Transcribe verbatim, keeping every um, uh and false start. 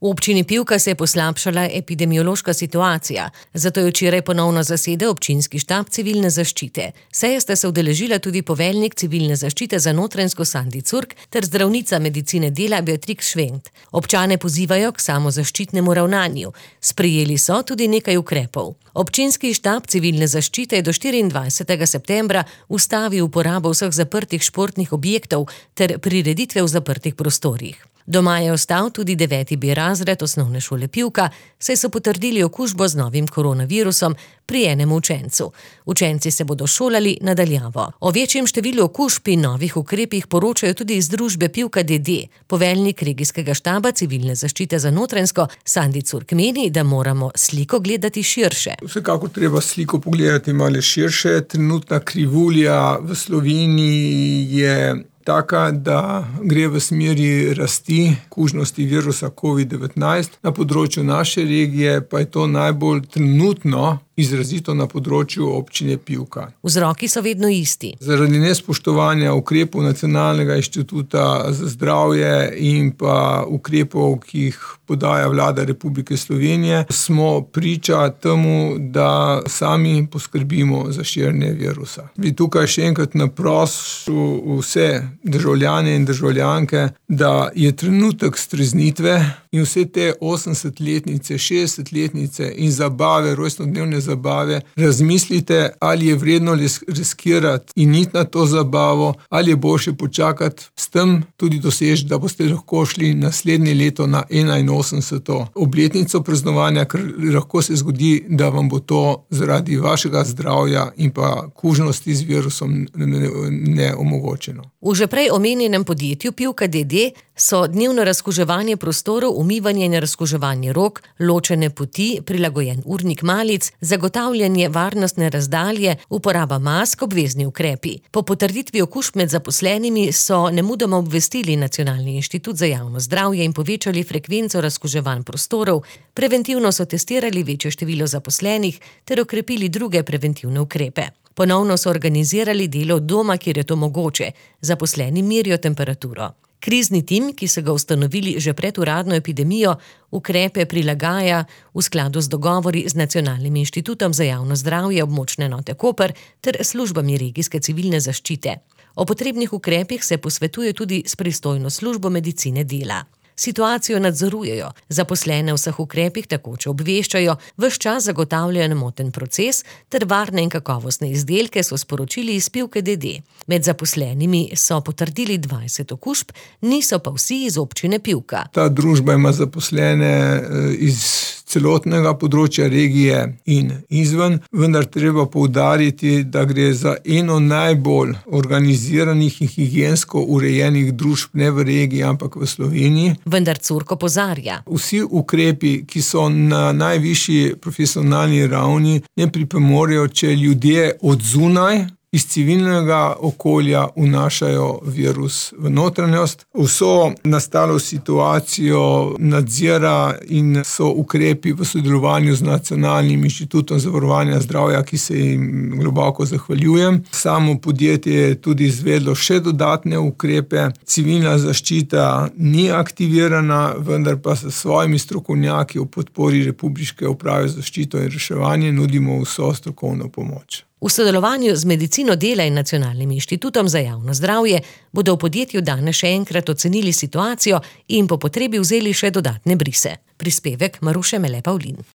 V občini Pivka se je poslabšala epidemiološka situacija, zato je včeraj ponovno zasedel občinski štab civilne zaščite. Seje sta se udeležila tudi poveljnik civilne zaščite za Notranjsko Sandi Curk ter zdravnica medicine dela Beatrix Švent. Občane pozivajo k samozaščitnemu ravnanju. Sprejeli so tudi nekaj ukrepov. Občinski štab civilne zaščite je do štiriindvajsetega septembra ustavil uporabo vseh zaprtih športnih objektov ter prireditve v zaprtih prostorih. Doma je ostal tudi deveti B razred osnovne šole Pivka, saj so potrdili okužbo z novim koronavirusom pri enem učencu. Učenci se bodo šolali na daljavo. O večjem številu okužb in novih ukrepih poročajo tudi iz družbe Pivka D D. Poveljnik regijskega štaba civilne zaščite za Notranjsko Sandi Curk meni, da moramo sliko gledati širše. Vsekakor treba sliko pogledati malo širše. Trenutna krivulja v Sloveniji je taka, da gre v smeri rasti kužnosti virusa covid devetnajst. Na področju naše regije pa je to najbolj trenutno izrazito na področju občine Pivka. Vzroki so vedno isti. Zaradi nespoštovanja ukrepov Nacionalnega inštituta za zdravje in pa ukrepov, ki jih podaja vlada Republike Slovenije, smo priča temu, da sami poskrbimo za širjenje virusa. Bi tukaj še enkrat naprosil vse državljane in državljanke, da je trenutek streznitve in vse te osemdesetletnice, šestdesetletnice in zabave, rojstnodnevne zabave, razmislite, ali je vredno riskirati in iti na to zabavo, ali je boljše počakati, s tem tudi doseči, da boste lahko šli naslednje leto na enainosemdeseto obletnico praznovanja, ker lahko se zgodi, da vam bo to zaradi vašega zdravja in pa kužnosti z virusom neomogočeno. V že prej omenjenem podjetju Pivka D D so dnevno razkuževanje prostorov, umivanje in razkuževanje rok, ločene poti, prilagojen urnik malic, zagotavljanje varnostne razdalje, uporaba mask, obvezni ukrepi. Po potrditvi okužb med zaposlenimi so nemudoma obvestili Nacionalni inštitut za javno zdravje in povečali frekvenco razkuževanj prostorov, preventivno so testirali večje število zaposlenih ter okrepili druge preventivne ukrepe. Ponovno so organizirali delo od doma, kjer je to mogoče. Zaposleni merijo temperaturo. Krizni tim, ki so ga ustanovili že pred uradno epidemijo, ukrepe prilagaja v skladu z dogovori z Nacionalnim inštitutom za javno zdravje območne enote Koper ter službami regijske civilne zaščite. O potrebnih ukrepih se posvetuje tudi s pristojno službo medicine dela. Situacijo nadzorujejo, zaposlene v vseh ukrepih takoče obveščajo, ves čas zagotavljajo nemoten proces ter varne in kakovostne izdelke, so sporočili iz Pivke D D. Med zaposlenimi so potrdili dvajset okužb, niso pa vsi iz občine Pivka. Ta družba ima zaposlene iz celotnega področja regije in izven, vendar treba poudariti, da gre za eno najbolj organiziranih in higiensko urejenih družb ne v regiji, ampak v Sloveniji. Vendar Curk opozarja. Vsi ukrepi, ki so na najvišji profesionalni ravni, ne pripomorejo, če ljudje od zunaj iz civilnega okolja vnašajo virus v notranjost. Vso nastalo situacijo nadzira in so ukrepi v sodelovanju z Nacionalnim inštitutom za varovanje zdravja, ki se jim globoko zahvaljujem. Samo podjetje je tudi izvedlo še dodatne ukrepe. Civilna zaščita ni aktivirana, vendar pa s svojimi strokovnjaki v podpori Republiške uprave za zaščito in reševanje nudimo vso strokovno pomoč. V sodelovanju z medicino dela in Nacionalnim inštitutom za javno zdravje bodo v podjetju danes še enkrat ocenili situacijo in po potrebi vzeli še dodatne brise. Prispevek Maruše Mele Pavlin.